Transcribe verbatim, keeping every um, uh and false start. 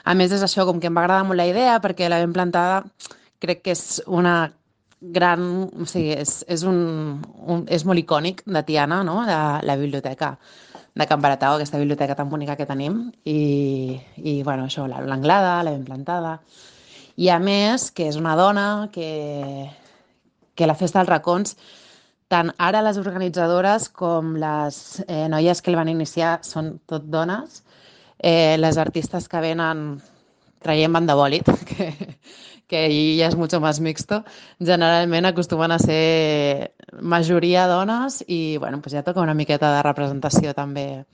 A més, és això, com que em va agradar molt la idea, perquè la ben plantada crec que és una gran... O sigui, és, és, un, un, és molt icònic de Tiana, no?, de la biblioteca de Can Baratau, aquesta biblioteca tan bonica que tenim. I, i bueno, això, la- l'Anglada, la ben plantada. I a més, que és una dona que, que la Festa dels Racons, tant ara les organitzadores com les eh, noies que el van iniciar són tot dones. Eh, les artistes que venen traient banda bòlit, que, que ahí ja és mucho más mixto, generalment acostumen a ser majoria dones i bueno, pues ja toca una miqueta de representació també